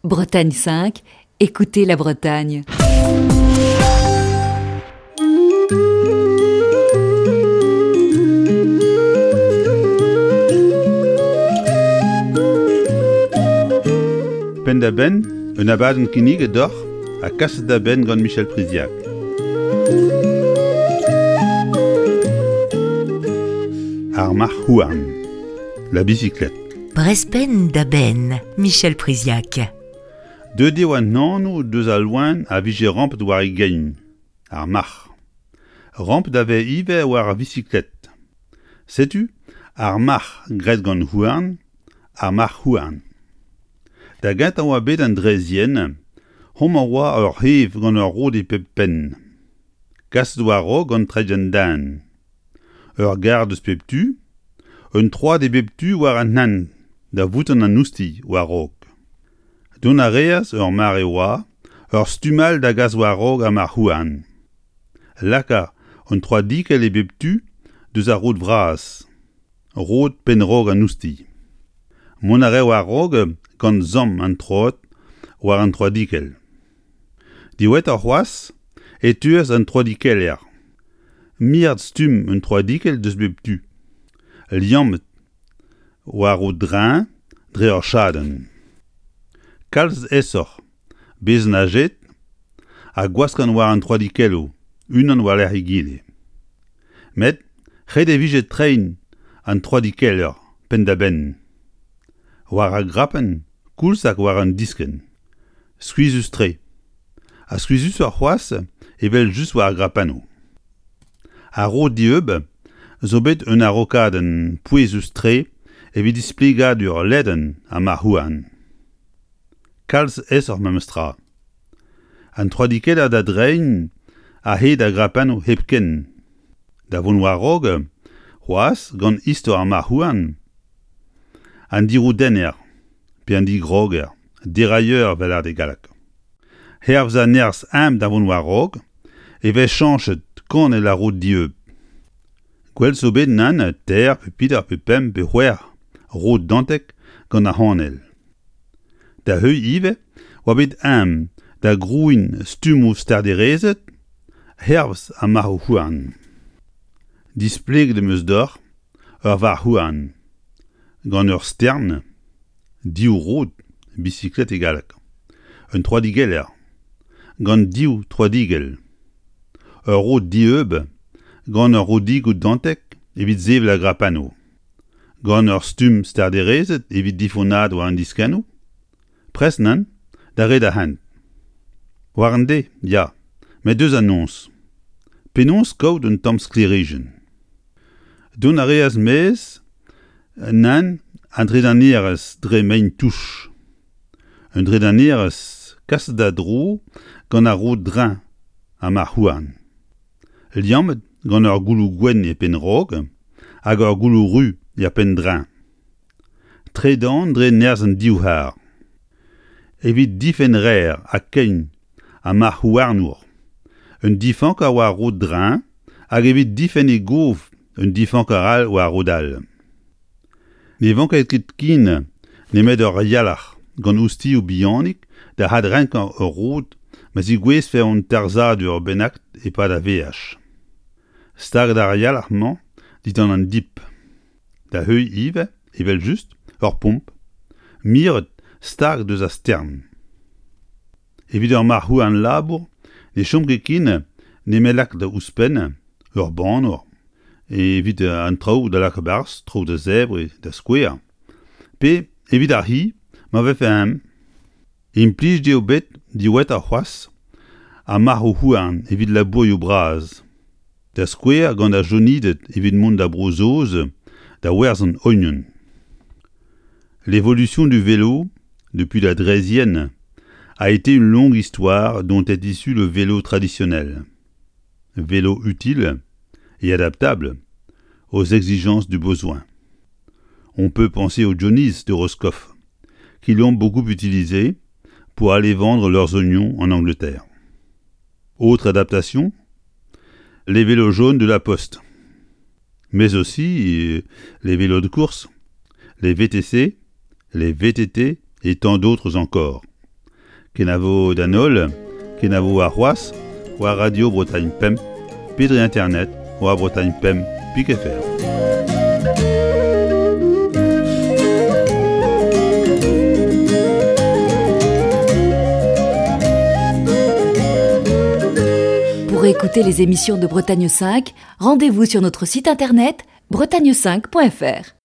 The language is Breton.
Bretagne 5, écoutez la Bretagne. Penn-da-benn, un abadenn kinniget deoc'h ha kaset da benn gant Michel Priziac. Ar marc'h-houarn, la bicyclette. Brezh-penn da benn, Michel Priziac. Deuet eo an anv deus al loen a vije rampet war e gein, ar marc'h. Rampet a vez ivez war ar visiklet. Setu ar marc'h graet gant houarn, ar marc'h-houarn. Da gentañ oa bet an draezhienn, homañ oa ur c'hev gant ur rod e pep penn. Kaset war-raok gant treid an den. Ur gar deus pep tu, un troad e bep tu war an hent da voutañ an oustilh war-raok. Dont a reas, ur mare oa, ur stumm all da gas war-raok ar marc'h-houarn. Laka un troadikell e bep tu deus ar rod vras, rod penn-raok an oustilh. Mont a rae war-raok gant samm an troad war an troadikell. Diwezhatoc'h c'hoazh e teuas an troadikeller. Miret stumm un troadikell deus bep tu, liammet war o dreñv dre ur chadenn. Kalz aesoc'h bezañ ajet ha gwaskan war an troadikelloù unan war-lerc'h egile. Met ret e vije treiñ an troadikeller penn-da-benn, war ar grapenn koulz hag war an diskenn. Skuizhus-tre. Ha skuizhusoc'h c'hoazh evel-just war ar grapennoù. Ar rod dieub zo bet un araokadenn pouezus-tre evit displegadur ledan ar marc'h-houarn. Kalz aesoc'h memestra. An troadikeller da dreiñ a-hed ar grapennoù hepken. Da vont war-raok c'hoazh gant istor ar marc'h-houarn, an diroudenner pe an digroger, dérailleur 'vel e galleg. Hervez an nerzh eñ da vont war-raok e vez chañchet kanell ar rod dieub. Gwell zo bet nann teir pe peder pe pemp pe c'hwec'h rod dantek gant ar c'hanell. Da heuilh ivez oa bet eñ da grouiñ stummoù starderezed hervez ar marc'hoù-houarn. Displeget em eus deoc'h ur varc'h-houarn gant ur stern, div rod, bisiklet e galleg, un troadigeller gant div troadigell, ur rod dieub gant ur rodigoù dantek evit sevel ar grapannoù, gant ur stumm starderezed evit difonnaat war an diskennoù, prest nann da red ar hent. War an deiz, ya, met deus an noz. Penaos kaout un tamm sklêrijenn? Dont a reas maez nann an dredanerezh dre mein-touch. Un dredanerezh kaset da dro gant ar rod-dreñv ha marc'h-houarn. Liammet gant ur gouloù gwenn e penn-raok hag ur gouloù ruz er penn-dreñv. Tredan dre nerzh an divc'har. Evit difenn rer ha kein ha marc'h-houarnour, un difanker war rod-dreñv hag evit difenn e gof un difanker all war rod all. Ne vanke ket ken nemet ur yalc'h gant oustilhoù bihanik da adrenkañ ur rod ma zigouezfe un tarzhadur bennak e-pad ar veaj. Staget ar yalc'h-mañ dindan an dip. Da heuilh ivez, evel-just, ur pomp, miret stag deus ar stern. Evit ur marc'h-houarn labour ne chom ket ken nemet lakaat ouzhpenn ur bannour evit an traoù da lakaat 'barzh, traoù da zebriñ, da skouer, pe evit ar c'hi ma vefe eñ. Implijet eo bet diwezhatoc'h c'hoazh ar marc'hoù-houarn evit labourioù bras, da skouer gant ar Jonided evit mont da Bro-Saoz da werzhañ ognon. L'évolution du vélo depuis la Draisienne a été une longue histoire dont est issu le vélo traditionnel. Vélo utile et adaptable aux exigences du besoin. On peut penser aux Johnnies de Roscoff, qui l'ont beaucoup utilisé pour aller vendre leurs oignons en Angleterre. Autre adaptation, les vélos jaunes de la Poste, mais aussi les vélos de course, les VTC, les VTT et tant d'autres encore. Kenavo d'an holl, kenavo arc'hoazh war Radio Bretagne Pemp pe dre internet war Bretagne Pemp pik fr. Pour écouter les émissions de Bretagne 5, rendez-vous sur notre site internet bretagne5.fr.